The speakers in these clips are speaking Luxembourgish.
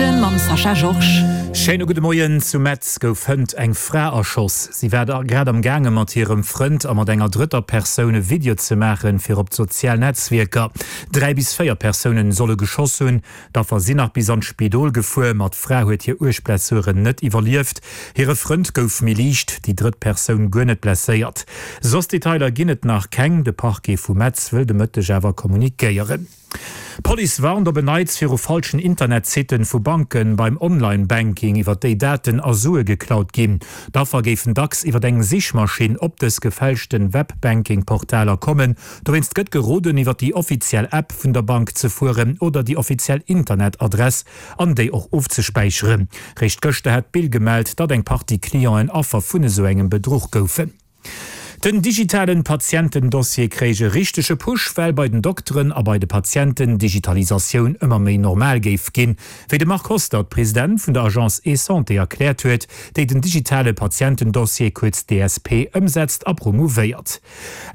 Noriichten mam Sascha Georges. Schéine gudde Moien. Zu Metz gouf hënt eng Fra erschoss. Si war grad am gaange mat hirem Frënd a mat enger drëtter Persoun e Video ze maachen fir op d'sozial Netzwierker. 3 bis 4 Persounen solle geschoss hunn. D'Affer sinn nach bis an d'Spidol gefuer, ma d'Fra huet hir uerg Blessuren net iwwerlieft. Hire Frënd gouf méi liicht, déi drëtt Persoun guer net blesséiert. Soss Detailer ginn et nach keng. De Parquet vu Metz wëll de Mëtteg awer kommunikéieren. D'Police warnt op en Neits viru falschen Internetsitten vu Banken beim Online-Banking, iwwer déi Daten a Sue geklaut ginn. D'Affer géifen dacks iwwer eng Sichmaschinn op dës gefälschten Web-Banking-Portaler kommen. Dowéinst gëtt geroden, iwwer déi offiziell App vun der Bank ze fueren oder déi offiziell Internetadress an déi och ofzespäicheren. Réischt gëschter hat d'Bill gemellt, datt eng Partie Clienten Affer vun esou engem Bedruch goufen. Den digitalen Patientendossier kréich e richtege Push, well bei den Dokteren a bei de Patienten d'Digitalisatioun ëmmer méi normal géif ginn, wéi de Marc Hostert, President vun der Agence eSanté erkläert huet, déi den digitale Patientendossier, kuerz DSP, ëmsetzt a promouvéiert.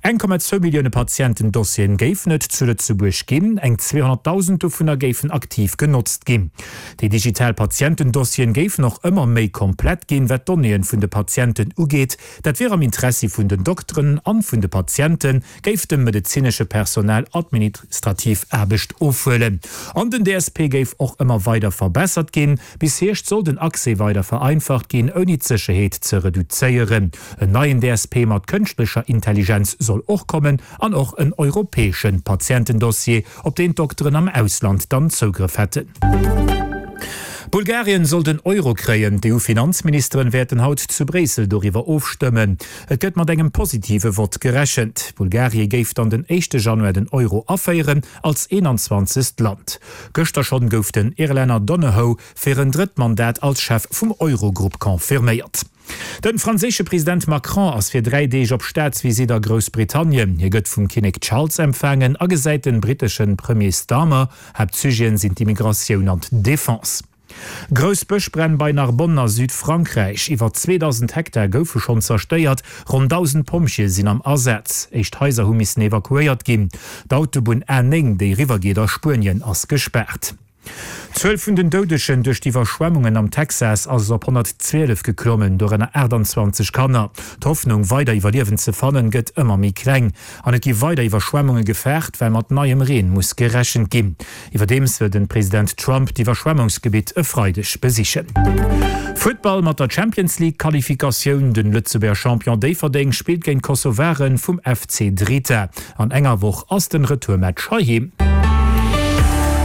1,2 Millioune Patientendossieren géifen et zu Lëtzebuerg ginn, eng 200.000 dovunner géifen aktiv genotzt ginn. Déi digital Patientendossieren géifen och ëmmer méi komplett ginn, wat d'Donnéeën vun de Patienten ugeet. Dat wier am Interessi vun den Dokteren an vun de Patienten, géif dem medezinesche Personal administrativ Aarbecht ofhuelen. An den DSP géif och ëmmer weider verbessert ginn. Bis Hierscht soll den Accès weider vereinfacht ginn, ouni d'Sécherheet ze reduzéieren. En neien DSP mat kënschtlecher Intelligenz soll och kommen an och en europäesche Patientendossier, op deen d'Dokteren am Ausland dann Zougrëff hätten. Bulgarien soll den Euro kréien. D'EU-Finanzministeren wäerten haut zu Bréissel doriwwer ofstëmmen. Et gëtt mat engem positive Vott gerechent. Bulgarie géif dann den éischte Januar den Euro aféieren, als 21. Land. Gëschter schonn gouf den Irlänner Donohoe fir en drëtt Mandat als Chef vum Eurogrupp confirméiert. De franséische President Macron ass fir 3 Deeg op Staatsvisitt a Groussbritannien. Hie gëtt vum Kinnek Charles empfaangen a gesäit den britteschen Premier Starmer. Haaptsujeten sinn d'Immigratioun an d'Defense. Grouss Bëschbränn bei Narbonne a Südfrankräich, Iwwer 2.000 Hektar goufe schonn zerstéiert, ronn 1.000 Pompjeeë sinn am Asaz. Éischt Haiser hu missen evakuéiert ginn. D'Autobunn A9, déi eriwwer geet a Spuenien, ass gespaart. D'Zuel vun den Doudegen duerch d'Iwwerschwemmungen am Texas ass op 112 geklommen, dorënner 28 Kanner. D'Hoffnung, weider Iwwerliewend ze fannen, gëtt ëmmer méi kleng. An et gi weider Iwwerschwemmunge gefaart, well mat neiem Reen muss gerechent ginn. Iwwerdeems wëll den President Trump d'Iwwerschwemmungsgebitt e Freideg besichen. Futtball, Mat der Champions League Qualifikatioun, Den Lëtzebuerger Champion Déifferdeng spillt géint d'Kosovaren vum FC Drita. An enger Woch ass den Retourmatch heiheem.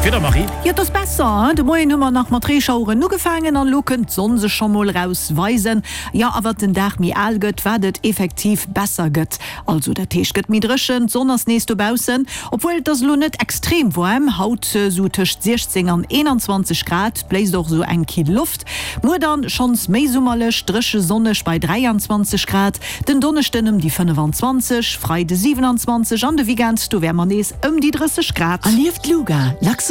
Wieder Marie. Jo, et ass besser, hein? De Moien hu mer nach mat Reeschaueren ugefaangen an elo kënnt d'Sonn sech scho mol raus weisen. Jo, a wat den Dag méi al gëtt, wat et effektiv besser gëtt. Also dat heescht, gëtt méi dréchen, d'Sonn ass nees dobaussen, obwuel et ass elo net extrem waarm haut, sou tëscht 16 an 21 Grad, bléist och sou eng kill Loft. Muer dann schonns méi summerlech, dréche sonneg bei 23 Grad. Den Donneschden ëm déi 25, Freide 27 an de Weekend do wäre mer nees ëm déi 30 Grad. Erlieft d'LUGA, Luxembourg.